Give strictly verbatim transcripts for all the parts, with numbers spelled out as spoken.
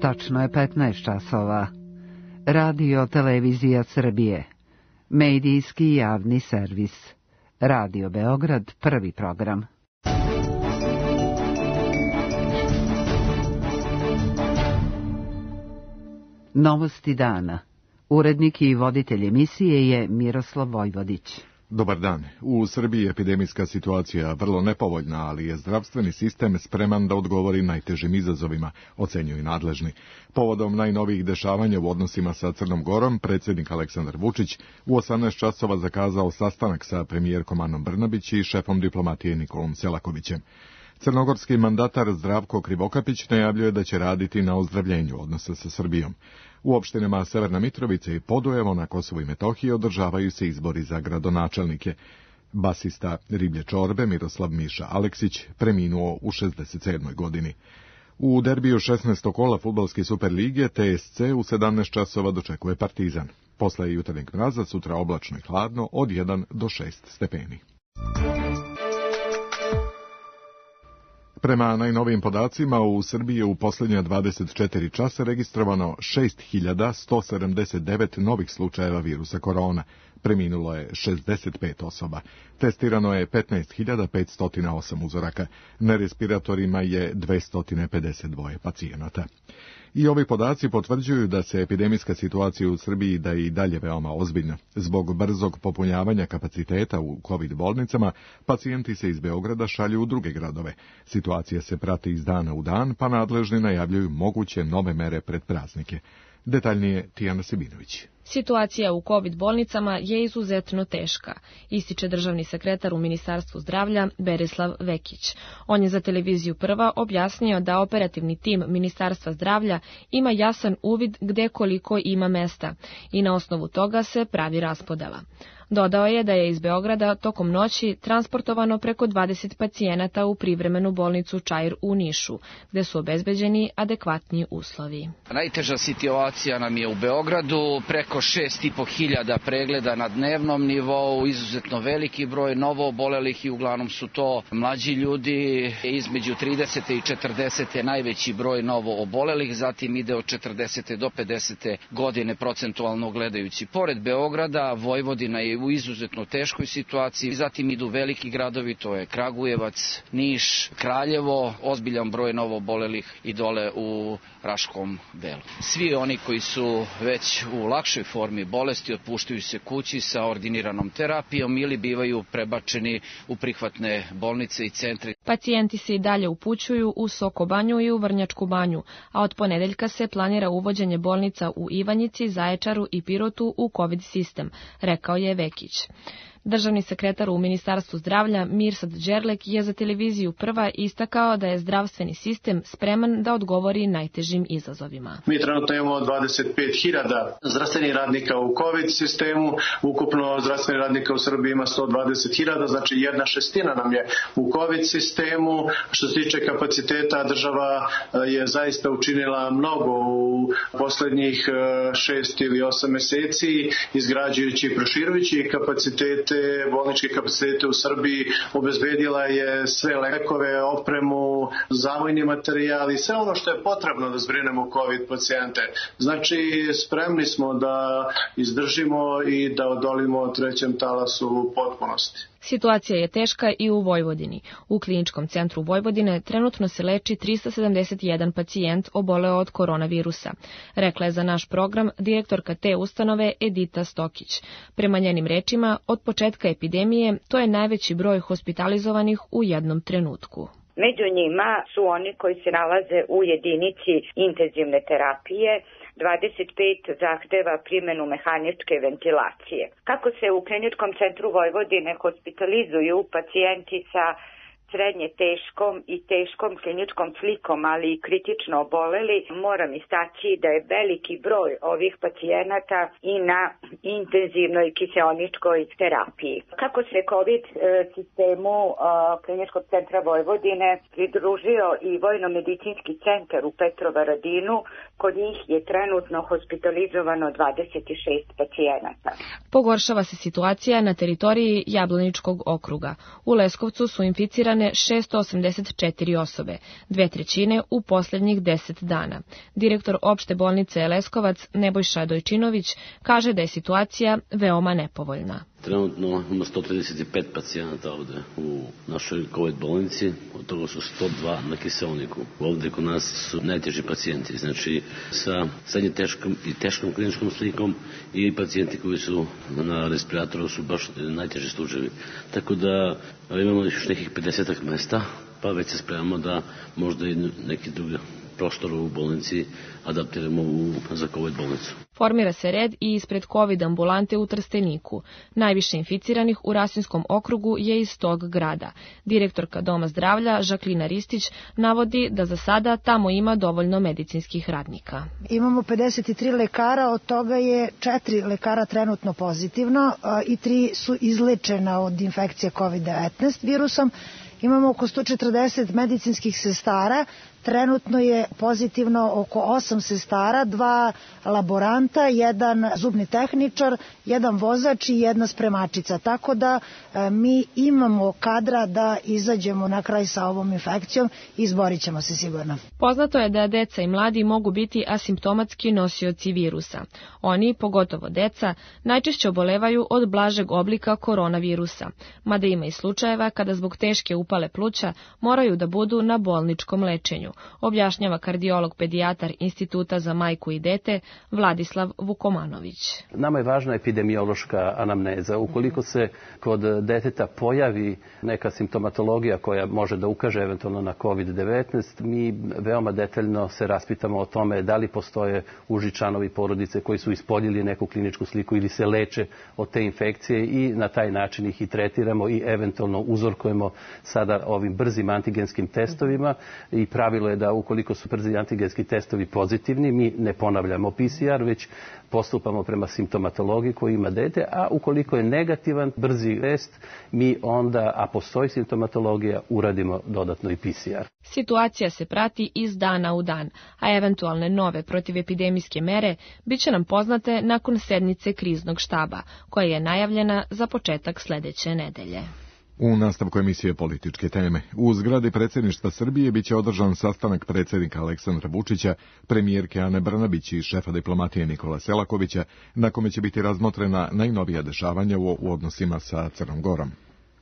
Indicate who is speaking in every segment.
Speaker 1: Tačno je petnaest časova. Radio Televizija Srbije. Medijski javni servis. Radio Beograd, prvi program. Novosti dana. Urednik i voditelj emisije je Miroslav Vojvodić.
Speaker 2: Dobar dan. U Srbiji je epidemijska situacija vrlo nepovoljna, ali je zdravstveni sistem spreman da odgovori najtežim izazovima, ocenjuju nadležni. Povodom najnovijih dešavanja u odnosima sa Crnom Gorom, predsjednik Aleksandar Vučić u osamnaest časova zakazao sastanak sa premijerkom Anom Brnabić i šefom diplomatije Nikolom Selakovićem. Crnogorski mandatar Zdravko Krivokapić najavljuje da će raditi na ozdravljenju odnosa sa Srbijom. U opštinama Severna Mitrovica i Podujevo na Kosovu i Metohiji održavaju se izbori za gradonačelnike. Basista Riblje čorbe Miroslav Miša Aleksić preminuo u šezdeset sedmoj godini. U derbiju šesnaestog kola fudbalske Superlige T S C u sedamnaest časova dočekuje Partizan. Posle jutarnjeg mraza sutra oblačno i hladno od jedan do šest stepeni. Prema najnovijim podacima, u Srbiji je u posljednja dvadeset četiri časa registrovano šest hiljada sto sedamdeset devet novih slučajeva virusa korona. Preminulo je šezdeset pet osoba. Testirano je petnaest hiljada petsto osam uzoraka. Na respiratorima je dvesta pedeset dva pacijenata. I ovi podaci potvrđuju da se epidemijska situacija u Srbiji da je i dalje veoma ozbiljna. Zbog brzog popunjavanja kapaciteta u COVID bolnicama, pacijenti se iz Beograda šalju u druge gradove. Situacija se prati iz dana u dan, pa nadležni najavljuju moguće nove mere pred praznike. Detaljnije Tijana Sebinović.
Speaker 3: Situacija u COVID bolnicama je izuzetno teška, ističe državni sekretar u Ministarstvu zdravlja Berislav Vekić. On je za televiziju Prva objasnio da operativni tim Ministarstva zdravlja ima jasan uvid gde koliko ima mesta i na osnovu toga se pravi raspodela. Dodao je da je iz Beograda tokom noći transportovano preko dvadeset pacijenata u privremenu bolnicu Čair u Nišu, gde su obezbeđeni adekvatni uslovi.
Speaker 4: Najteža situacija nam je u Beogradu, preko šest i po hiljada pregleda na dnevnom nivou, izuzetno veliki broj novoobolelih i uglavnom su to mlađi ljudi, između trideset i četrdeset najveći broj novoobolelih, zatim ide od četrdeset do pedeset godine procentualno gledajući. Pored Beograda, Vojvodina je u izuzetno teškoj situaciji, zatim idu veliki gradovi, to je Kragujevac, Niš, Kraljevo, ozbiljan broj novoobolelih i dole u Raškom delu. Svi oni koji su već u lakšoj formi bolesti otpuštaju se kući sa ordiniranom terapijom ili bivaju prebačeni u prihvatne bolnice i centre.
Speaker 3: Pacijenti se i dalje upućuju u Soko Banju i u Vrnjačku Banju, a od ponedeljka se planira uvođenje bolnica u Ivanjici, Zaječaru i Pirotu u COVID sistem, rekao je Vekić. Državni sekretar u Ministarstvu zdravlja Mirsad Đerlek je za televiziju Prva istakao da je zdravstveni sistem spreman da odgovori najtežim izazovima.
Speaker 5: Mi trenutno imamo dvadeset pet hiljada zdravstvenih radnika u COVID sistemu, ukupno zdravstvenih radnika u Srbiji ima sto dvadeset hiljada, znači jedna šestina nam je u COVID sistemu. Što se tiče kapaciteta, država je zaista učinila mnogo u poslednjih šest ili osam meseci, izgrađujući i proširujući kapacitete, bolničke kapacitete u Srbiji, obezbedila je sve lekove, opremu, zavojni materijal i sve ono što je potrebno da zbrinemo COVID pacijente. Znači, spremni smo da izdržimo i da odolimo trećem talasu u potpunosti.
Speaker 3: Situacija je teška i u Vojvodini. U Kliničkom centru Vojvodine trenutno se leči trista sedamdeset jedan pacijent oboleo od koronavirusa, rekla je za naš program direktorka te ustanove Edita Stokić. Prema njenim rečima, od početka epidemije to je najveći broj hospitalizovanih u jednom trenutku.
Speaker 6: Među njima su oni koji se nalaze u jedinici intenzivne terapije, dvadeset pet zahteva primjenu mehaničke ventilacije. Kako se u Kliničkom centru Vojvodine hospitalizuju pacijenti sa srednje teškom i teškom kliničkom slikom, ali i kritično oboleli, moram istaći da je veliki broj ovih pacijenata i na intenzivnoj kiseoničkoj terapiji. Kako se COVID sistemu Kliničkog centra Vojvodine pridružio i Vojno-medicinski centar u Petrovaradinu, kod njih je trenutno hospitalizovano dvadeset šest pacijenata.
Speaker 3: Pogoršava se situacija na teritoriji Jablaničkog okruga. U Leskovcu su inficirane testirane šesto osamdeset četiri osobe, dve trećine u posljednjih deset dana. Direktor opšte bolnice Leskovac Nebojša Dojčinović kaže da je situacija veoma nepovoljna.
Speaker 7: Trenutno ima sto trideset pet pacijenata ovde u našoj COVID bolnici, od toga su sto dva na kiseoniku. Ovde kod nas su najteži pacijenti, znači sa srednje teškom i teškom kliničkom slikom i pacijenti koji su na respiratoru su baš najteži slučajevi. Tako da imamo još nekih pedeset mesta, pa već se spremamo da možda i neki drugi prostor u bolnici adaptiramo u, za COVID bolnicu.
Speaker 3: Formira se red i ispred COVID ambulante u Trsteniku. Najviše inficiranih u Rasinskom okrugu je iz tog grada. Direktorka Doma zdravlja Žaklina Ristić navodi da za sada tamo ima dovoljno medicinskih radnika.
Speaker 8: Imamo pedeset tri lekara, od toga je četiri lekara trenutno pozitivno i tri su izlečena od infekcije COVID devetnaest virusom. Imamo oko sto četrdeset medicinskih sestara, trenutno je pozitivno oko osam sestara, dva laboranta, jedan zubni tehničar, jedan vozač i jedna spremačica. Tako da e, mi imamo kadra da izađemo na kraj sa ovom infekcijom i izborit ćemo se sigurno.
Speaker 3: Poznato je da deca i mladi mogu biti asimptomatski nosioci virusa. Oni, pogotovo deca, najčešće obolevaju od blažeg oblika koronavirusa, mada ima i slučajeva kada zbog teške upale pluća moraju da budu na bolničkom lečenju, objašnjava kardiolog pedijatar Instituta za majku i dete Vladislav Vukomanović.
Speaker 9: Nama je važna epidemiološka anamneza. Ukoliko se kod deteta pojavi neka simptomatologija koja može da ukaže eventualno na COVID devetnaest, mi veoma detaljno se raspitamo o tome da li postoje uži članovi porodice koji su ispoljili neku kliničku sliku ili se leče od te infekcije i na taj način ih i tretiramo i eventualno uzorkujemo sada ovim brzim antigenskim testovima i pravilo je da ukoliko su brzi antigenski testovi pozitivni, mi ne ponavljamo P C R, već postupamo prema simptomatologiji koju ima dete, a ukoliko je negativan brzi test, mi onda, a postoji simptomatologija, uradimo dodatno i P C R.
Speaker 3: Situacija se prati iz dana u dan, a eventualne nove protivepidemijske mere biće nam poznate nakon sednice kriznog štaba, koja je najavljena za početak sledeće nedelje.
Speaker 2: U nastavku emisije Političke teme. U zgradi predsjedništva Srbije biće održan sastanak predsjednika Aleksandra Vučića, premijerke Ane Brnabić i šefa diplomatije Nikola Selakovića, na kome će biti razmotrena najnovija dešavanja u odnosima sa Crnom Gorom.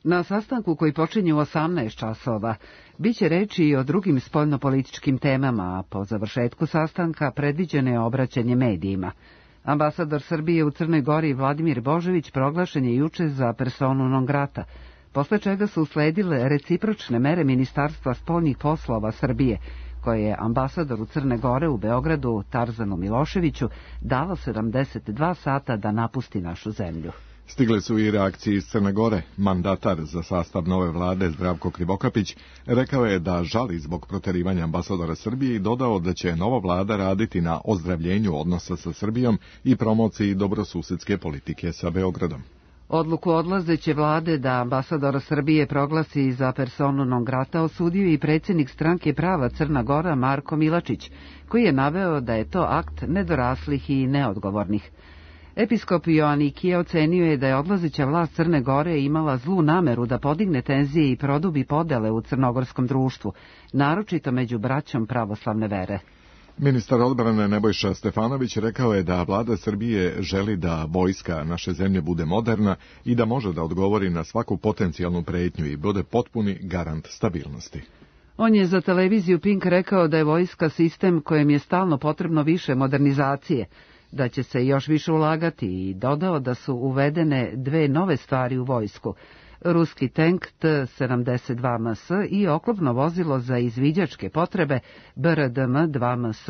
Speaker 1: Na sastanku koji počinje u osamnaest časova biće reči i o drugim spoljnopolitičkim temama, a po završetku sastanka predviđeno je obraćanje medijima. Ambasador Srbije u Crnoj Gori Vladimir Božović proglašen je juče za personu non grata, posle čega su usledile recipročne mere Ministarstva spoljnih poslova Srbije, koje je ambasadoru Crne Gore u Beogradu Tarzanu Miloševiću dalo sedamdeset dva sata da napusti našu zemlju.
Speaker 2: Stigle su i reakcije iz Crne Gore. Mandatar za sastav nove vlade Zdravko Krivokapić rekao je da žali zbog proterivanja ambasadora Srbije i dodao da će nova vlada raditi na ozdravljenju odnosa sa Srbijom i promociji dobrosusedske politike sa Beogradom.
Speaker 1: Odluku odlazeće vlade da ambasadora Srbije proglasi za personu non grata osudio i predsjednik stranke Prava Crna Gora Marko Milačić, koji je naveo da je to akt nedoraslih i neodgovornih. Episkop Joanikije ocenio je da je odlazeća vlast Crne Gore imala zlu nameru da podigne tenzije i produbi podele u crnogorskom društvu, naročito među braćom pravoslavne vere.
Speaker 2: Ministar odbrane Nebojša Stefanović rekao je da vlada Srbije želi da vojska naše zemlje bude moderna i da može da odgovori na svaku potencijalnu pretnju i bude potpuni garant stabilnosti.
Speaker 1: On je za televiziju Pink rekao da je vojska sistem kojem je stalno potrebno više modernizacije, da će se još više ulagati i dodao da su uvedene dve nove stvari u vojsku. Ruski tank T sedamdeset dva M S i oklopno vozilo za izviđačke potrebe B R D M dva M S.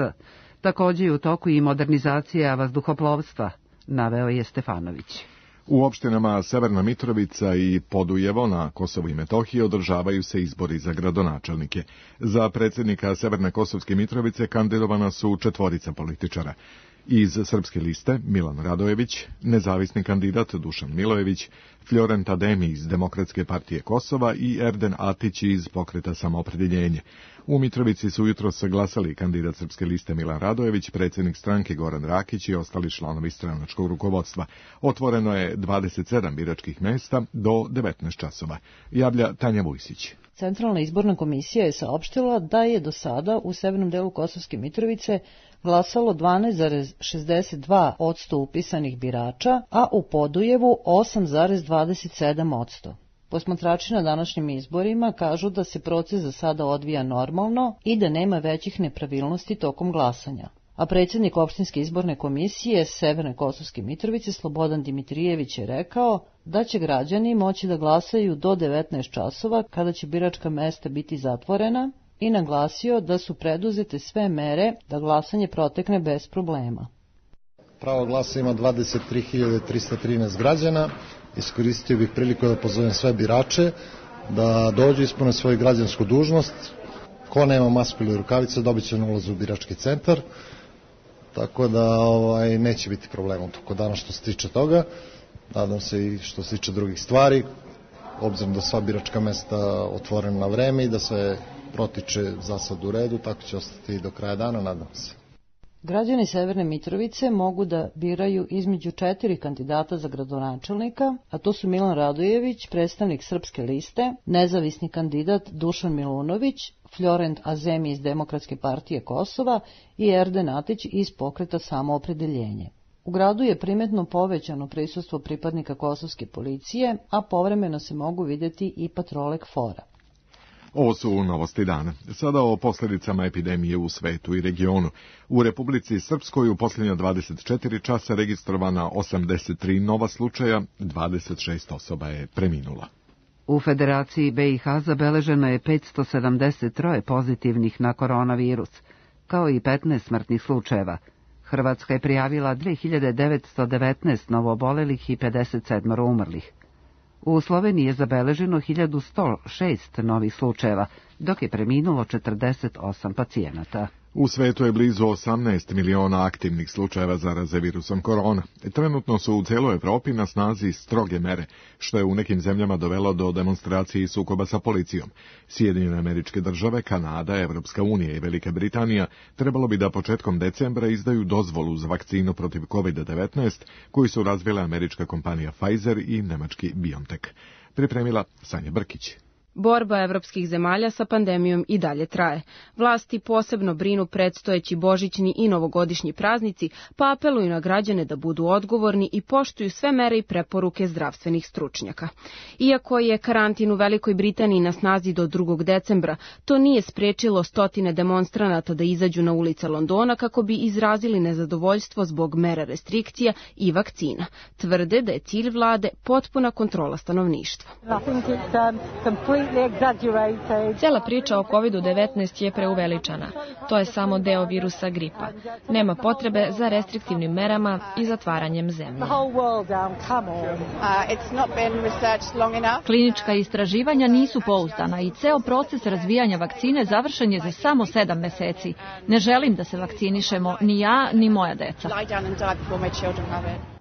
Speaker 1: Također je u toku i modernizacija vazduhoplovstva, naveo je Stefanović.
Speaker 2: U opštinama Severna Mitrovica i Podujevo na Kosovu i Metohiji održavaju se izbori za gradonačelnike. Za predsjednika Severne Kosovske Mitrovice kandidovana su četvorica političara. Iz Srpske liste Milan Radojević, nezavisni kandidat Dušan Milojević, Florent Ademi iz Demokratske partije Kosova i Erden Atić iz Pokreta samoopredjeljenje. U Mitrovici su jutros glasali kandidat Srpske liste Milan Radojević, predsjednik stranke Goran Rakić i ostali članovi stranačkog rukovodstva. Otvoreno je dvadeset sedam biračkih mjesta do devetnaest časova. Javlja Tanja Vujsić.
Speaker 10: Centralna izborna komisija je saopštila da je do sada u severnom delu Kosovske Mitrovice glasalo dvanaest zarez šezdeset dva posto upisanih birača, a u Podujevu osam zarez dvadeset sedam posto. Posmatrači na današnjim izborima kažu da se proces za sada odvija normalno i da nema većih nepravilnosti tokom glasanja. A predsjednik opštinske izborne komisije Severne Kosovske Mitrovice Slobodan Dimitrijević je rekao da će građani moći da glasaju do devetnaest časova kada će biračka mesta biti zatvorena i naglasio da su preduzete sve mere da glasanje protekne bez problema.
Speaker 11: Pravo glasa ima dvadeset tri hiljade trista trinaest građana. Iskoristio bih priliku da pozovem sve birače da dođu ispune svoju građansku dužnost. Ko nema masku ili rukavice dobit će na ulazu u birački centar. Tako da ovaj, neće biti problema u toku dana što se tiče toga. Nadam se i što se tiče drugih stvari, obzirom da sva biračka mesta otvorena na vreme i da sve protiče za sad u redu, tako će ostati i do kraja dana, nadam se.
Speaker 10: Građani Severne Mitrovice mogu da biraju između četiri kandidata za gradonačelnika, a to su Milan Radojević, predstavnik Srpske liste, nezavisni kandidat Dušan Milunović, Florent Azemi iz Demokratske partije Kosova i Erden Atić iz Pokreta Samoopredeljenje. U gradu je primetno povećano prisustvo pripadnika kosovske policije, a povremeno se mogu vidjeti i patrole KFOR-a.
Speaker 2: Ovo su novosti dana. Sada o posljedicama epidemije u svetu i regionu. U Republici Srpskoj u posljednja dvadeset četiri časa registrovana osamdeset tri nova slučaja, dvadeset šest osoba je preminula.
Speaker 1: U Federaciji B i H zabeleženo je petsto sedamdeset tri pozitivnih na koronavirus, kao i petnaest smrtnih slučajeva. Hrvatska je prijavila dve hiljade devetsto devetnaest novoobolelih i pedeset sedam umrlih. U Sloveniji je zabeleženo hiljadu sto šest novih slučajeva, dok je preminulo četrdeset osam pacijenata.
Speaker 2: U svetu je blizu osamnaest miliona aktivnih slučajeva zaraze virusom korona. Trenutno su u cijeloj Evropi na snazi stroge mere, što je u nekim zemljama dovelo do demonstracije i sukoba sa policijom. Sjedinjene Američke Države, Kanada, Evropska unija i Velika Britanija trebalo bi da početkom decembra izdaju dozvolu za vakcinu protiv kovid devetnaest, koju su razvile američka kompanija Pfizer i nemački BioNTech. Pripremila Sanja Brkić.
Speaker 12: Borba evropskih zemalja sa pandemijom i dalje traje. Vlasti posebno brinu predstojeći božićni i novogodišnji praznici, pa apeluju na građane da budu odgovorni i poštuju sve mere i preporuke zdravstvenih stručnjaka. Iako je karantin u Velikoj Britaniji na snazi do drugog decembra, to nije sprečilo stotine demonstranata da izađu na ulice Londona kako bi izrazili nezadovoljstvo zbog mera restrikcija i vakcina. Tvrde da je cilj vlade potpuna kontrola stanovništva.
Speaker 3: Cijela priča o kovid devetnaest je preuveličana. To je samo deo virusa gripa. Nema potrebe za restriktivnim merama i zatvaranjem zemlje.
Speaker 13: Klinička istraživanja nisu pouzdana i ceo proces razvijanja vakcine završen je za samo sedam meseci. Ne želim da se vakcinišemo ni ja, ni moja deca.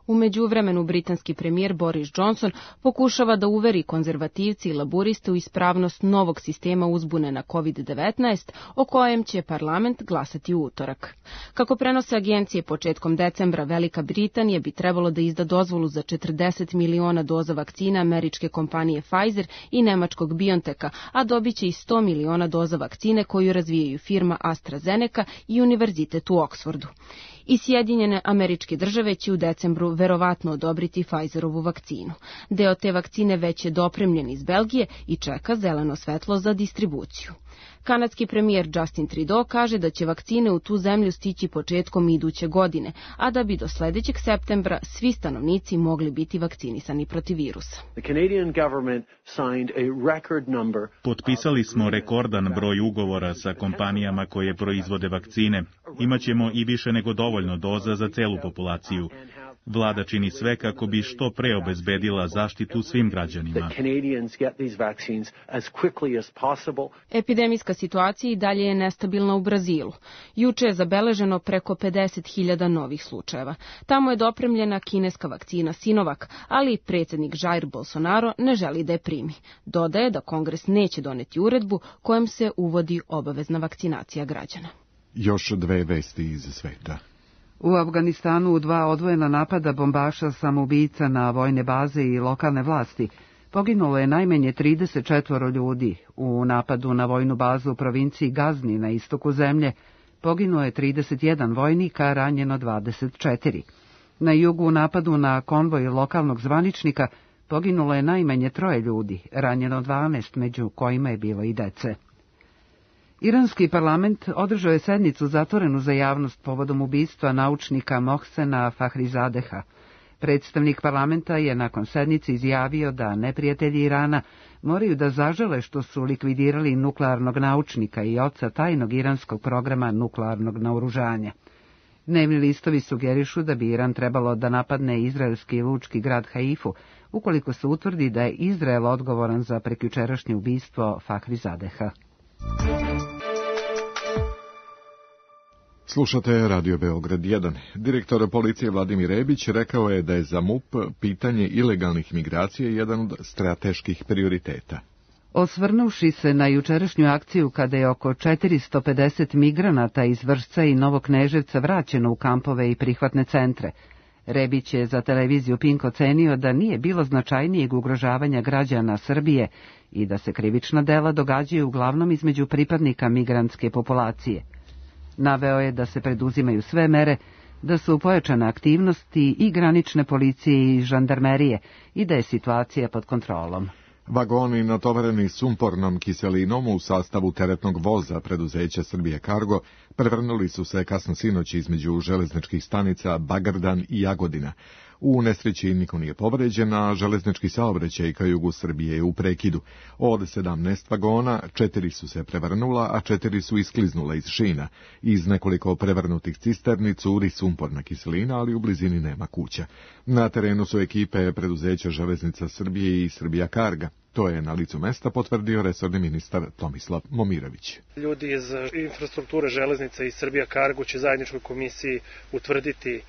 Speaker 12: U međuvremenu britanski premijer Boris Johnson pokušava da uveri konzervativci i laburiste u ispravnost novog sistema uzbune na kovid devetnaest, o kojem će parlament glasati u utorak. Kako prenose agencije, početkom decembra Velika Britanija bi trebalo da izda dozvolu za četrdeset miliona doza vakcina američke kompanije Pfizer i nemačkog BioNTecha, a dobit će i sto miliona doza vakcine koju razvijaju firma AstraZeneca i Univerzitet u Oksfordu. I Sjedinjene Američke Države će u decembru verovatno odobriti Pfizerovu vakcinu. Deo te vakcine već je dopremljen iz Belgije i čeka zeleno svetlo za distribuciju. Kanadski premijer Justin Trudeau kaže da će vakcine u tu zemlju stići početkom iduće godine, a da bi do sljedećeg septembra svi stanovnici mogli biti vakcinisani protiv virusa.
Speaker 14: Potpisali smo rekordan broj ugovora sa kompanijama koje proizvode vakcine. Imaćemo i više nego dovoljno doza za celu populaciju. Vlada čini sve kako bi što pre obezbedila zaštitu svim građanima.
Speaker 12: Epidemijska situacija i dalje je nestabilna u Brazilu. Juče je zabeleženo preko pedeset hiljada novih slučajeva. Tamo je dopremljena kineska vakcina Sinovac, ali predsjednik Jair Bolsonaro ne želi da je primi. Dodaje da Kongres neće doneti uredbu kojom se uvodi obavezna vakcinacija građana.
Speaker 2: Još dve vesti iz sveta.
Speaker 1: U Afganistanu u dva odvojena napada bombaša samoubica na vojne baze i lokalne vlasti Poginulo je najmanje trideset četvoro ljudi. U napadu na vojnu bazu u provinciji Gazni na istoku zemlje poginuo je trideset jedan vojnika, a ranjeno dvadeset četiri. Na jugu u napadu na konvoj lokalnog zvaničnika poginulo je najmanje troje ljudi, ranjeno dvanaest, među kojima je bilo i dece. Iranski parlament održao je sednicu zatvorenu za javnost povodom ubistva naučnika Mohsena Fahrizadeha. Predstavnik parlamenta je nakon sednice izjavio da neprijatelji Irana moraju da zažele što su likvidirali nuklearnog naučnika i oca tajnog iranskog programa nuklearnog naoružanja. Dnevni listovi sugerišu da bi Iran trebalo da napadne izraelski lučki grad Haifu, ukoliko se utvrdi da je Izrael odgovoran za prekjučerašnje ubistvo Fahrizadeha.
Speaker 2: Slušate Radio Beograd jedan. Direktor policije Vladimir Rebić rekao je da je za M U P pitanje ilegalnih migracija jedan od strateških prioriteta.
Speaker 1: Osvrnuvši se na jučerašnju akciju kada je oko četiristo pedeset migranata iz Vršca i Novog Kneževca vraćeno u kampove i prihvatne centre, Rebić je za televiziju Pink ocenio da nije bilo značajnijeg ugrožavanja građana Srbije i da se krivična dela događaju uglavnom između pripadnika migrantske populacije. Naveo je da se preduzimaju sve mere, da su pojačane aktivnosti i granične policije i žandarmerije i da je situacija pod kontrolom.
Speaker 2: Vagoni natovareni sumpornom kiselinom u sastavu teretnog voza preduzeća Srbije Kargo prevrnuli su se kasno sinoć između železničkih stanica Bagardan i Jagodina. U nesreći niko nije povređen, a železnički saobraćaj ka jugu Srbije je u prekidu. Od sedamnaest vagona, četiri su se prevrnula, a četiri su iskliznula iz šina. Iz nekoliko prevrnutih cisterni curi sumporna kiselina, ali u blizini nema kuća. Na terenu su ekipe preduzeća Železnica Srbije i Srbija Karga. To je na licu mesta potvrdio resorni ministar Tomislav Momirović.
Speaker 15: Ljudi iz infrastrukture železnica i Srbija Kargo će zajedničkoj komisiji utvrditi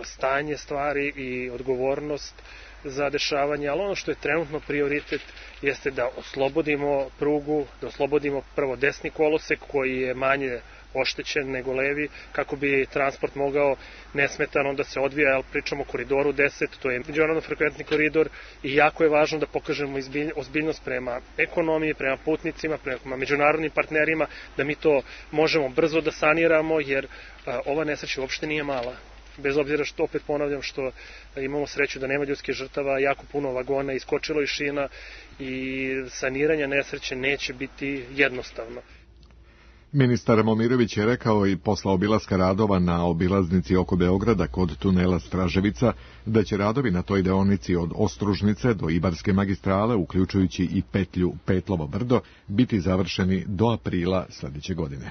Speaker 15: stanje stvari i odgovornost za dešavanje, ali ono što je trenutno prioritet jeste da oslobodimo prugu, da oslobodimo prvo desni kolosek koji je manje oštećen nego levi, kako bi transport mogao nesmetano da se odvija, ali pričamo o koridoru deset, to je međunarodno frekventni koridor i jako je važno da pokažemo ozbiljnost prema ekonomiji, prema putnicima, prema međunarodnim partnerima, da mi to možemo brzo da saniramo, jer a, ova nesreća uopšte nije mala. Bez obzira što, opet ponavljam, što imamo sreću da nema ljudskih žrtava, jako puno vagona iskočilo iz šina i saniranje nesreće neće biti jednostavno.
Speaker 2: Ministar Momirović je rekao i posle obilaska radova na obilaznici oko Beograda kod tunela Straževica da će radovi na toj deonici od Ostružnice do Ibarske magistrale, uključujući i petlju Petlovo brdo, biti završeni do aprila sljedeće godine.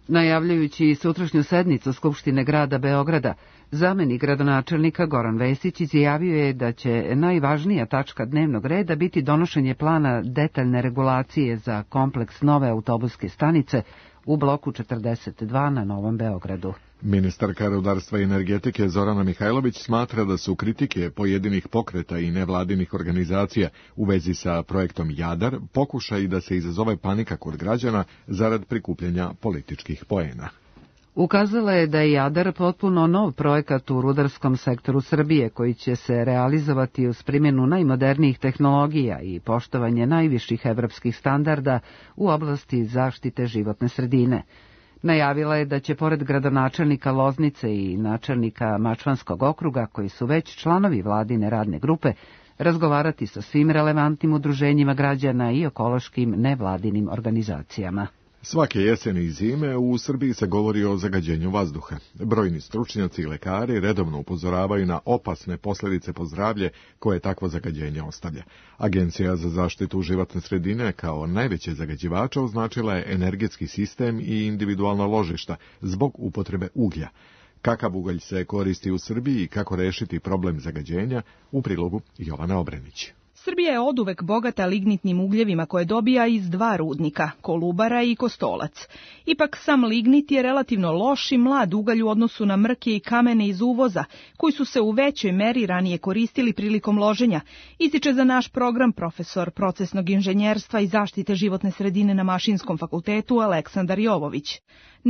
Speaker 1: Najavljajući sutrašnju sednicu Skupštine grada Beograda, zamenik gradonačelnika Goran Vesić izjavio je da će najvažnija tačka dnevnog reda biti donošenje plana detaljne regulacije za kompleks nove autobuske stanice u bloku četrdeset dva na Novom Beogradu.
Speaker 2: Ministarka rudarstva i energetike Zorana Mihajlović smatra da su kritike pojedinih pokreta i nevladinih organizacija u vezi sa projektom Jadar pokušaj da se izazove panika kod građana zarad prikupljanja političkih poena.
Speaker 1: Ukazala je da je Jadar potpuno nov projekat u rudarskom sektoru Srbije koji će se realizovati uz primjenu najmodernijih tehnologija i poštovanje najviših evropskih standarda u oblasti zaštite životne sredine. Najavila je da će pored gradonačelnika Loznice i načelnika Mačvanskog okruga, koji su već članovi vladine radne grupe, razgovarati sa svim relevantnim udruženjima građana i ekološkim nevladinim organizacijama.
Speaker 2: Svake jeseni i zime u Srbiji se govori o zagađenju vazduha. Brojni stručnjaci i lekari redovno upozoravaju na opasne posljedice po zdravlje koje takvo zagađenje ostavlja. Agencija za zaštitu životne sredine kao najveće zagađivača označila je energetski sistem i individualna ložišta zbog upotrebe uglja. Kakav ugalj se koristi u Srbiji i kako rešiti problem zagađenja, u prilogu Jovana Obrenić.
Speaker 16: Srbija je oduvek bogata lignitnim ugljevima koje dobija iz dva rudnika, Kolubara i Kostolac. Ipak sam lignit je relativno loš i mlad ugalj u odnosu na mrke i kamene iz uvoza, koji su se u većoj meri ranije koristili prilikom loženja, ističe za naš program profesor procesnog inženjerstva i zaštite životne sredine na Mašinskom fakultetu Aleksandar Jovović.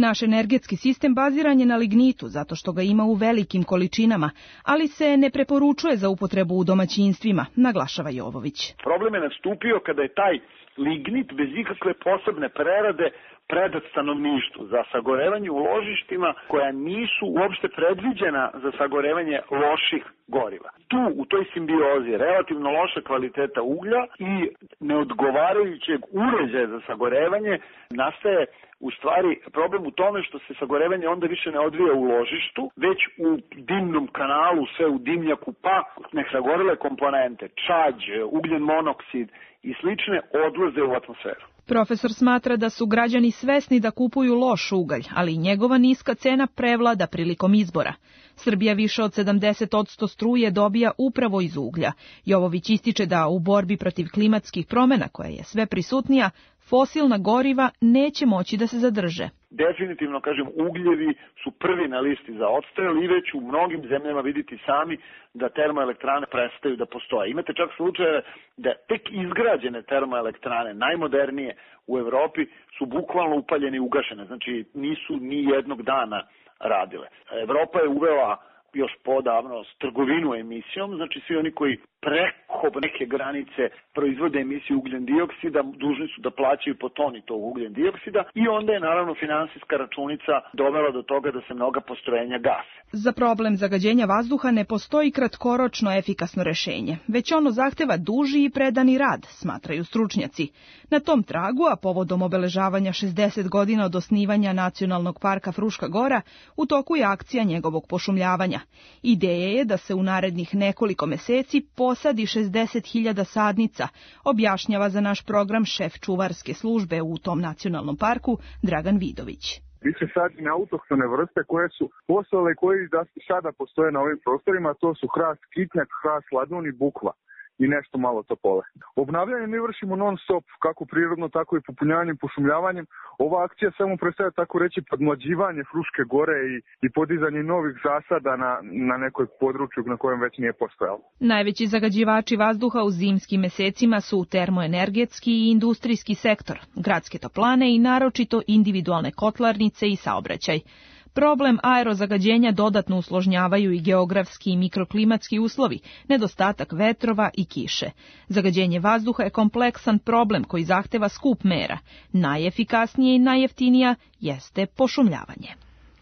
Speaker 16: Naš energetski sistem baziran je na lignitu zato što ga ima u velikim količinama, ali se ne preporučuje za upotrebu u domaćinstvima, naglašava Jovović.
Speaker 17: Problem je nastupio kada je taj lignit bez ikakve posebne prerade predat stanovništvu za sagorevanje u ložištima koja nisu uopšte predviđena za sagorevanje loših goriva. Tu, u toj simbiozi, relativno loša kvaliteta uglja i neodgovarajućeg uređaja za sagorevanje nastaje u stvari problem u tome što se sagorevanje onda više ne odvija u ložištu, već u dimnom kanalu, sve u dimnjaku, pa nesagorele komponente, čađ, ugljen monoksid i slične odlaze u atmosferu.
Speaker 16: Profesor smatra da su građani svesni da kupuju loš ugalj, ali i njegova niska cena prevlada prilikom izbora. Srbija više od sedamdeset posto struje dobija upravo iz uglja. Jovović ističe da u borbi protiv klimatskih promena, koja je sve prisutnija, fosilna goriva neće moći da se zadrže.
Speaker 17: Definitivno, kažem, ugljevi su prvi na listi za odstrel i već u mnogim zemljama vidite sami da termoelektrane prestaju da postoje. Imate čak slučajeve da tek izgrađene termoelektrane, najmodernije u Evropi, su bukvalno upaljene i ugašene, znači nisu ni jednog dana radile. Evropa je uvela još podavno s trgovinu emisijom, znači svi oni koji preko neke granice proizvode emisiju ugljen dioksida, dužni su da plaćaju po toni tog ugljen dioksida i onda je naravno finansijska računica dovela do toga da se mnoga postrojenja gase.
Speaker 16: Za problem zagađenja vazduha ne postoji kratkoročno efikasno rešenje, već ono zahteva duži i predani rad, smatraju stručnjaci. Na tom tragu, a povodom obeležavanja šezdeset godina od osnivanja Nacionalnog parka Fruška Gora, u toku je akcija njegovog pošumljavanja. Ideja je da se u narednih nekoliko meseci posadi šezdeset hiljada sadnica, objašnjava za naš program šef čuvarske službe u tom nacionalnom parku Dragan Vidović.
Speaker 18: Više sadi na autohtone vrste koje su postale i koji da sada postoje na ovim prostorima, to su hrast kitnjak, hrast ladun i bukva i nešto malo topole. Obnavljanje mi vršimo non stop, kako prirodno, tako i popunjavanjem, pošumljavanjem. Ova akcija samo predstavlja, tako reći, podmlađivanje Fruške gore i, i podizanje novih zasada na, na nekoj području na kojem već nije postojalo.
Speaker 16: Najveći zagađivači vazduha u zimskim mesecima su termoenergetski i industrijski sektor, gradske toplane i naročito individualne kotlarnice i saobraćaj. Problem aerozagađenja dodatno usložnjavaju i geografski i mikroklimatski uslovi, nedostatak vetrova i kiše. Zagađenje vazduha je kompleksan problem koji zahteva skup mera. Najefikasnije i najjeftinija jeste pošumljavanje.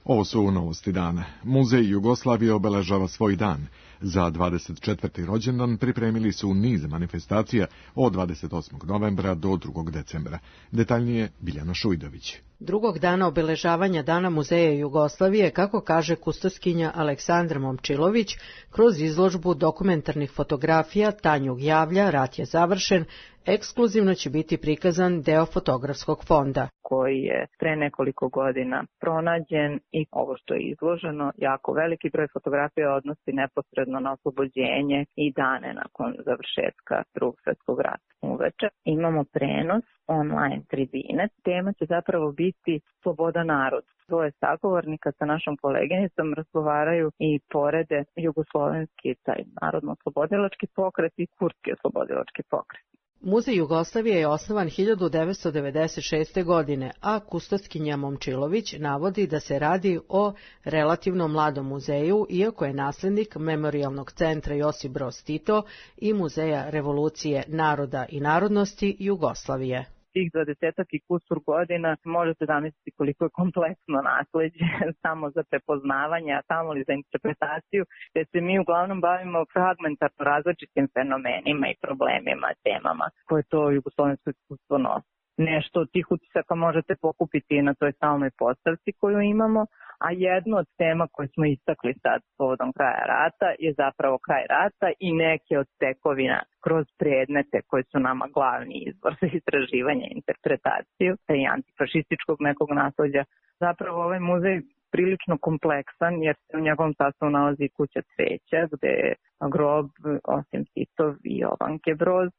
Speaker 2: Ovo su novosti dana. Muzej Jugoslavije obeležava svoj dan. Za dvadeset četvrti rođendan pripremili su niz manifestacija od dvadeset osmog novembra do drugog decembra. Detaljnije Biljana Šujdović.
Speaker 19: Drugog dana obeležavanja Dana Muzeja Jugoslavije, kako kaže kustoskinja Aleksandra Momčilović, kroz izložbu dokumentarnih fotografija Tanjug javlja, rat je završen, ekskluzivno će biti prikazan deo fotografskog fonda,
Speaker 20: koji je pre nekoliko godina pronađen i ovo što je izloženo, jako veliki broj fotografija odnosi neposredno na oslobođenje i dane nakon završetka Drugog svjetskog rata. Uveče imamo prenos online tribine. Tema će zapravo biti sloboda naroda. Dvoje sagovornika sa našom koleginicom razgovaraju i porede jugoslovenski, taj narodno-oslobodilački pokret i kurski oslobodilački pokret.
Speaker 19: Muzej Jugoslavije je osnovan hiljadu devetsto devedeset šeste. godine, a kustoskinja Momčilović navodi da se radi o relativno mladom muzeju, iako je naslednik Memorijalnog centra Josip Broz Tito i Muzeja revolucije naroda i narodnosti Jugoslavije.
Speaker 20: Tih dvadesetak i kusur godina možete zamisliti koliko je kompleksno nasleđe samo za prepoznavanje, a samo li za interpretaciju, te se mi uglavnom bavimo fragmentarno različitim fenomenima i problemima, temama koje to jugoslovensko iskustvo nosi. Nešto od tih utisaka možete pokupiti na toj stalnoj postavci koju imamo, a jedno od tema koje smo istakli sad povodom kraja rata je zapravo kraj rata i neke od tekovina kroz predmete koji su nama glavni izvor za istraživanje i interpretaciju i antifašističkog nekog nasleđa. Zapravo ovaj muzej prilično kompleksan jer se u njegovom sastavu nalazi kuća cveća gde je grob osim Titov i Jovanke Broz.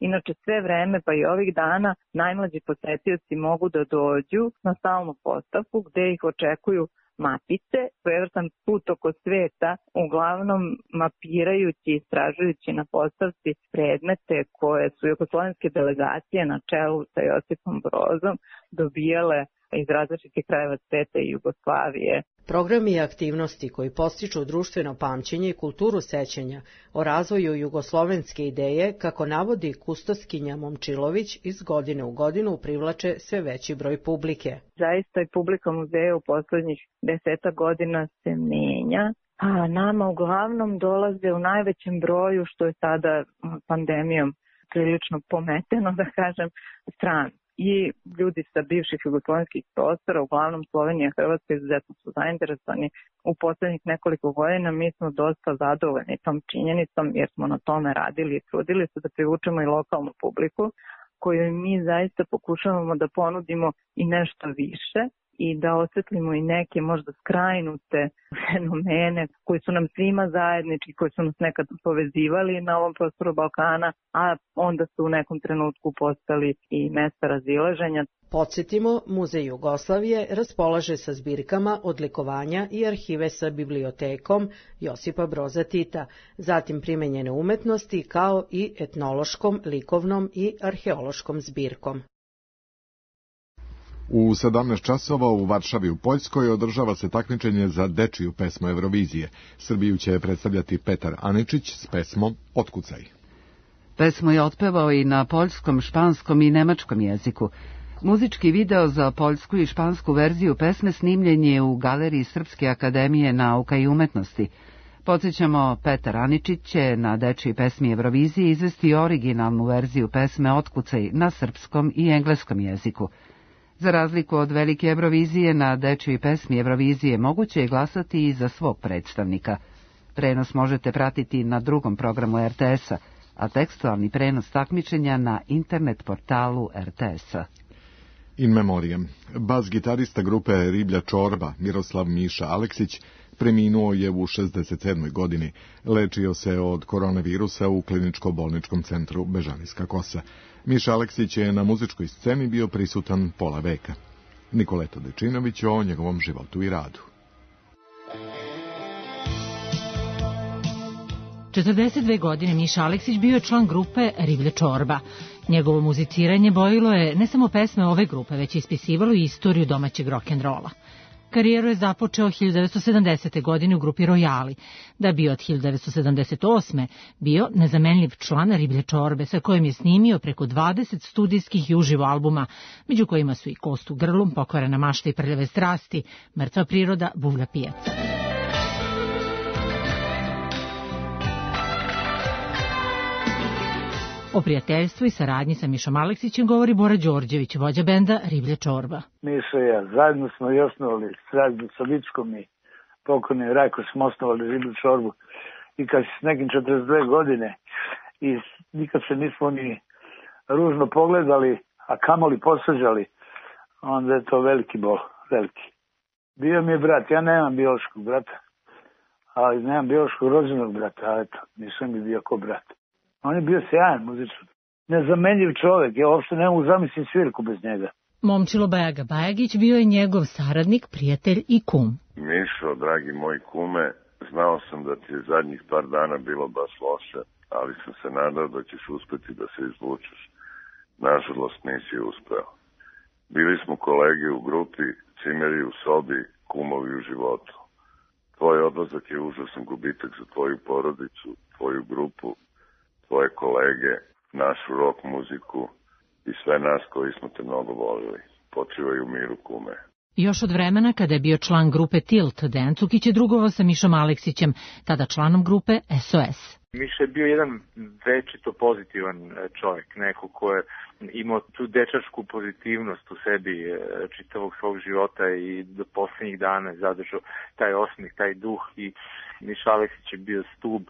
Speaker 20: Inače, sve vreme, pa i ovih dana, najmlađi posetioci mogu da dođu na stalnu postavku gde ih očekuju mapice, svojevrstan put oko sveta, uglavnom mapirajući i istražujući na postavci predmete koje su jugoslovenske delegacije na čelu sa Josipom Brozom dobijale iz različitih krajeva sveta i Jugoslavije.
Speaker 19: Programi i aktivnosti koji postiču društveno pamćenje i kulturu sećanja o razvoju jugoslovenske ideje, kako navodi kustoskinja Momčilović, iz godine u godinu privlače sve veći broj publike.
Speaker 20: Zaista i publika muzeja u poslednjih deseta godina se menja, a nama uglavnom dolaze u najvećem broju, što je sada pandemijom prilično pometeno, da kažem, strani. I ljudi sa bivših jugoslovenskih prostora, uglavnom Slovenija i Hrvatska, izuzetno su zainteresovani. U poslednjih nekoliko godina mi smo dosta zadovoljni tom činjenicom, jer smo na tome radili i trudili se da privučemo i lokalnu publiku, koju mi zaista pokušavamo da ponudimo i nešto više i da osvetlimo i neke možda skrajnute fenomene koji su nam svima zajednički, koji su nas nekad povezivali na ovom prostoru Balkana, a onda su u nekom trenutku postali i mesta razilaženja.
Speaker 19: Podsjetimo, Muzej Jugoslavije raspolaže sa zbirkama odlikovanja i arhive sa bibliotekom Josipa Broza Tita, zatim primenjene umetnosti kao i etnološkom, likovnom i arheološkom zbirkom.
Speaker 2: U sedamnaest časova u Varšavi u Poljskoj održava se takmičenje za dečiju pesmu Eurovizije. Srbiju će predstavljati Petar Aničić s pesmom Otkucaj.
Speaker 1: Pesmu je otpevao i na poljskom, španskom i nemačkom jeziku. Muzički video za poljsku i špansku verziju pesme snimljen je u Galeriji Srpske akademije nauka i umetnosti. Podsjećamo, Petar Aničić će na dečiji pesmi Eurovizije izvesti originalnu verziju pesme Otkucaj na srpskom i engleskom jeziku. Za razliku od velike Eurovizije, na dečiji pesmi Eurovizije moguće je glasati i za svog predstavnika. Prenos možete pratiti na drugom programu er te es-a, a tekstualni prenos takmičenja na internet portalu er te es-a.
Speaker 2: In memoriam. Bas-gitarista grupe Riblja čorba Miroslav Miša Aleksić preminuo je u šezdeset sedmoj godini. Lečio se od koronavirusa u kliničko-bolničkom centru Bežanijska Kosa. Miša Aleksić je na muzičkoj sceni bio prisutan pola veka. Nikoleta Dečinović o njegovom životu i radu.
Speaker 21: četrdeset dve godine Miša Aleksić bio je član grupe Riblja čorba. Njegovo muziciranje bojilo je ne samo pesme ove grupe, već je ispisivalo i istoriju domaćeg rock'n'rolla. Karijeru je započeo hiljadu devetsto sedamdesete. godine u grupi Rojali, da bi od hiljadu devetsto sedamdeset osme. bio nezamenljiv član Riblje čorbe, sa kojim je snimio preko dvadeset studijskih i uživo albuma, među kojima su i Kost u grlu, Pokvarena mašta i Prljave strasti, Mrtva priroda, Buvlja pijac. O prijateljstvu i saradnji sa Mišom Aleksićem govori Bora Đorđević, vođa benda Riblja čorba.
Speaker 22: Miša i ja zajedno smo i osnovali, zajedno sa Vičkom i pokojnim Rajko smo osnovali Riblju čorbu i kad s nekim četrdeset dve godine i nikad se nismo ni ružno pogledali, a kamoli posveđali, onda je to veliki bol, veliki. Bio mi je brat, ja nemam biološkog brata, ali nemam biološkog rođenog brata, a eto, nisam mi bio ko brat. On je bio sjajan muzičar. Nezamenljiv čovjek, ja uopšte ne mogu zamisliti svirku bez njega.
Speaker 21: Momčilo Bajaga Bajagić bio je njegov saradnik, prijatelj i kum.
Speaker 23: Mišo, dragi moj kume, znao sam da ti je zadnjih par dana bilo baš loše, ali sam se nadao da ćeš uspeti da se izvučeš. Nažalost nisi uspeo. Bili smo kolege u grupi, cimeri u sobi, kumovi u životu. Tvoj odlazak je užasan gubitak za tvoju porodicu, tvoju grupu, tvoje kolege, našu rock muziku i sve nas koji smo te mnogo volili. Počivaj u miru, kume.
Speaker 21: Još od vremena kada je bio član grupe Tilt, Dejan Cukić je drugovao sa Mišom Aleksićem, tada članom grupe es o es.
Speaker 24: Miša je bio jedan večito pozitivan čovjek, neko ko je imao tu dečačku pozitivnost u sebi čitavog svog života i do posljednjih dana zadržao taj osmih, taj duh i Miša Aleksić je bio stub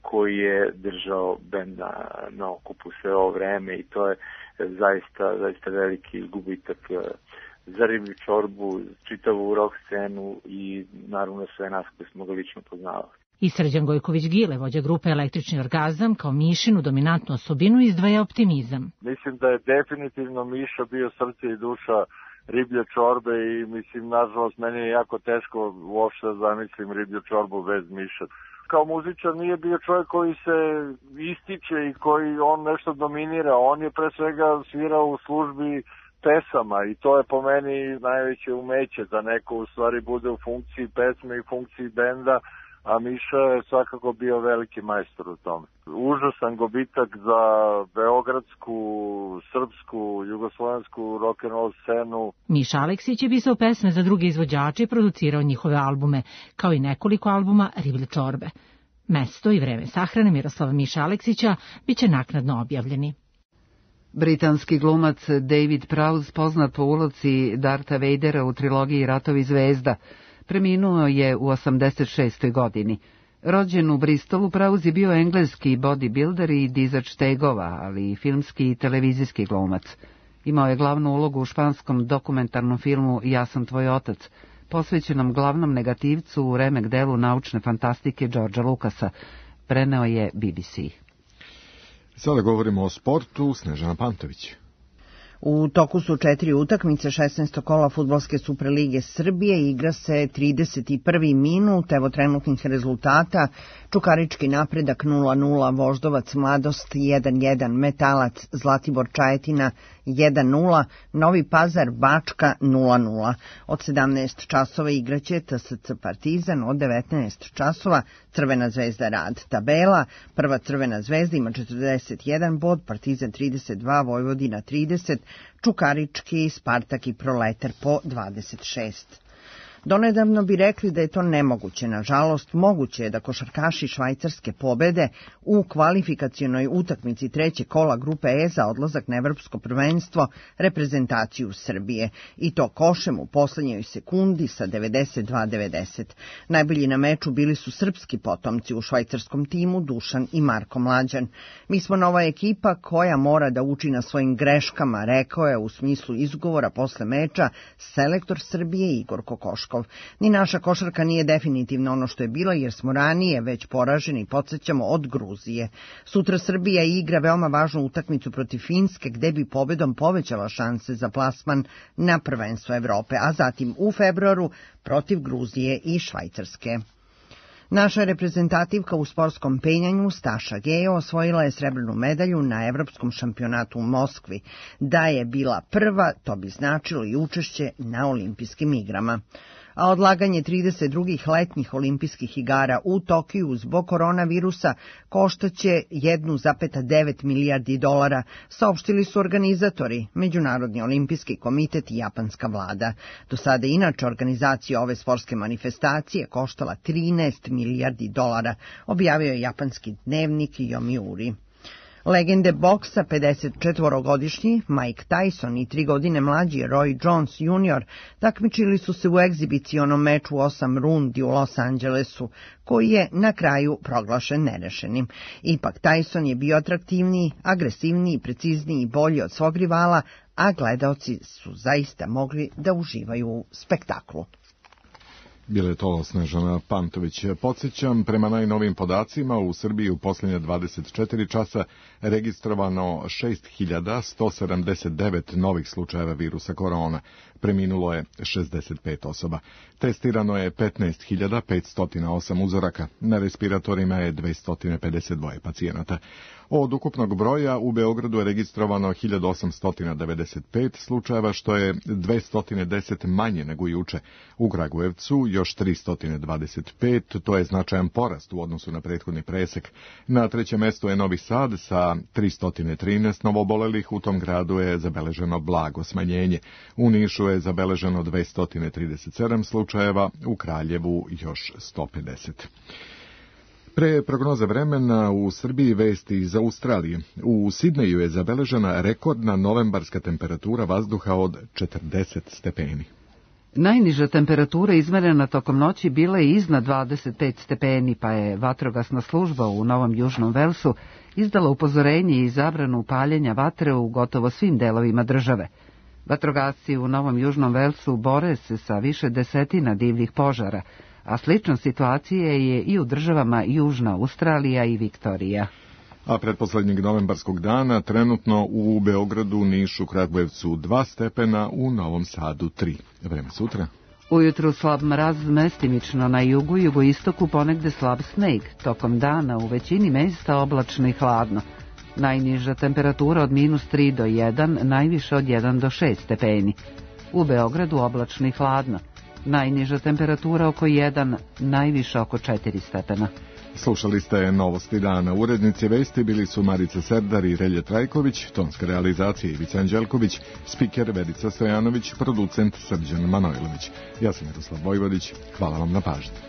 Speaker 24: koji je držao bend na, na okupu sve ovo vreme i to je zaista, zaista veliki gubitak za Riblju čorbu, čitavu rock scenu i naravno sve nas koji smo ga lično poznavali.
Speaker 21: I Srđan Gojković-Gile, vođa grupe Električni orgazam, kao Mišinu dominantnu osobinu izdvaja optimizam.
Speaker 25: Mislim da je definitivno Miša bio srce i duša Riblje čorbe i mislim, nažalost, meni je jako teško uopšte da zamislim Riblju čorbu bez Miša. Kao muzičar nije bio čovjek koji se ističe i koji on nešto dominira. On je pre svega svirao u službi pesama i to je po meni najveće umeće da neko u stvari bude u funkciji pesme i funkciji benda, a Miša je svakako bio veliki majstor u tome. Užasan gubitak za beogradsku, srpsku, jugoslovensku rock'n'roll scenu.
Speaker 21: Miša Aleksić je pisao pesme za druge izvođače i producirao njihove albume, kao i nekoliko albuma Riblje čorbe. Mesto i vreme sahrane Miroslava Miša Aleksića biće naknadno objavljeni.
Speaker 1: Britanski glumac David Prowse, poznat po ulozi Dartha Vadera u trilogiji Ratovi zvezda, preminuo je u osamdeset šestoj godini. Rođen u Bristolu, Prowse je bio engleski bodybuilder i dizač tegova, ali i filmski i televizijski glumac. Imao je glavnu ulogu u španskom dokumentarnom filmu Ja sam tvoj otac, posvećenom glavnom negativcu u remek delu naučne fantastike Georgea Lucasa. Preneo je B B C.
Speaker 2: Sada govorimo o sportu. Snežana Pantović.
Speaker 4: U toku su četiri utakmice šesnaestog kola Fudbalske Superlige Srbije, igra se trideset prvi minut, evo trenutnih rezultata: Čukarički Napredak nula nula, Voždovac Mladost jedan jedan, Metalac Zlatibor Čajetina jedan nula, Novi Pazar Bačka nula nula. Od sedamnaest časova igraće T S C Partizan, od devetnaest časova Crvena zvezda Rad. Tabela: prva Crvena zvezda ima četrdeset jedan bod, Partizan trideset dva, Vojvodina trideset, Čukarički, Spartak i Proletar po dvadeset šest. Donedavno bi rekli da je to nemoguće. Nažalost, moguće je da košarkaši Švajcarske pobede u kvalifikacionoj utakmici trećeg kola grupe E za odlazak na evropsko prvenstvo reprezentaciju Srbije. I to košem u poslednjoj sekundi sa devedeset dva devedeset. Najbolji na meču bili su srpski potomci u švajcarskom timu Dušan i Marko Mlađan. Mi smo nova ekipa koja mora da uči na svojim greškama, rekao je u smislu izgovora posle meča selektor Srbije Igor Kokoškov. Ni naša košarka nije definitivno ono što je bila, jer smo ranije već poraženi, podsjećamo, od Gruzije. Sutra Srbija igra veoma važnu utakmicu protiv Finske, gde bi pobedom povećala šanse za plasman na prvenstvo Evrope, a zatim u februaru protiv Gruzije i Švajcarske. Naša reprezentativka u sportskom penjanju Staša Gejo osvojila je srebrnu medalju na Evropskom šampionatu u Moskvi. Da je bila prva, to bi značilo i učešće na olimpijskim igrama. A odlaganje trideset drugih letnjih olimpijskih igara u Tokiju zbog koronavirusa koštaće jedan zarez devet milijardi dolara, saopštili su organizatori, Međunarodni olimpijski komitet i japanska vlada. Do sada inače organizacija ove sportske manifestacije koštala trinaest milijardi dolara, objavio je japanski dnevnik Yomiuri. Legende boksa, pedesetčetvorogodišnji Mike Tyson i tri godine mlađi Roy Jones junior takmičili su se u egzibicionom meču osam rundi u Los Angelesu, koji je na kraju proglašen nerešenim. Ipak Tyson je bio atraktivniji, agresivniji, precizniji i bolji od svog rivala, a gledaoci su zaista mogli da uživaju u spektaklu.
Speaker 2: Bile je to Snežana Pantović. Podsjećam, prema najnovim podacima u Srbiji u posljednje dvadeset četiri časa registrovano šest hiljada sto sedamdeset devet novih slučajeva virusa korona. Preminulo je šezdeset pet osoba. Testirano je petnaest hiljada petsto osam uzoraka. Na respiratorima je dvesta pedeset dva pacijenata. Od ukupnog broja u Beogradu je registrovano hiljadu osamsto devedeset pet slučajeva, što je dvesta deset manje nego juče. U Kragujevcu još tristo dvadeset pet, to je značajan porast u odnosu na prethodni presek. Na trećem mestu je Novi Sad sa tristo trinaest novobolelih, u tom gradu je zabeleženo blago smanjenje. U Nišu je zabeleženo dvesta trideset sedam slučajeva, u Kraljevu još sto pedeset. Pre prognoze vremena u Srbiji vesti iz Australije. U Sidneju je zabeležena rekordna novembarska temperatura vazduha od četrdeset stepeni.
Speaker 1: Najniža temperatura izmerena tokom noći bila je iznad dvadeset pet stepeni, pa je vatrogasna služba u Novom Južnom Velsu izdala upozorenje i zabranu paljenja vatre u gotovo svim delovima države. Vatrogasci u Novom Južnom Velsu bore se sa više desetina divljih požara, a slična situacija je i u državama Južna Australija i Viktorija.
Speaker 2: A pretposlednjeg novembarskog dana trenutno u Beogradu, Nišu, Kragujevcu dva stepena, u Novom Sadu tri. Vreme sutra.
Speaker 1: Ujutru slab mraz, mestimično na jugu i jugoistoku, ponegde slab sneg. Tokom dana u većini mesta oblačno i hladno. Najniža temperatura od minus tri do jedan, najviše od jedan do šest stepeni. U Beogradu oblačno i hladno. Najniža temperatura oko jedan, najviše oko četiri stepena.
Speaker 2: Slušali ste Novosti dana. Urednici vesti bili su Marica Serdar i Relje Trajković, tonska realizacija Ivica Anđelković, spiker Verica Stojanović, producent Srđan Manojlović. Ja sam Miroslav Vojvodić. Hvala vam na pažnji.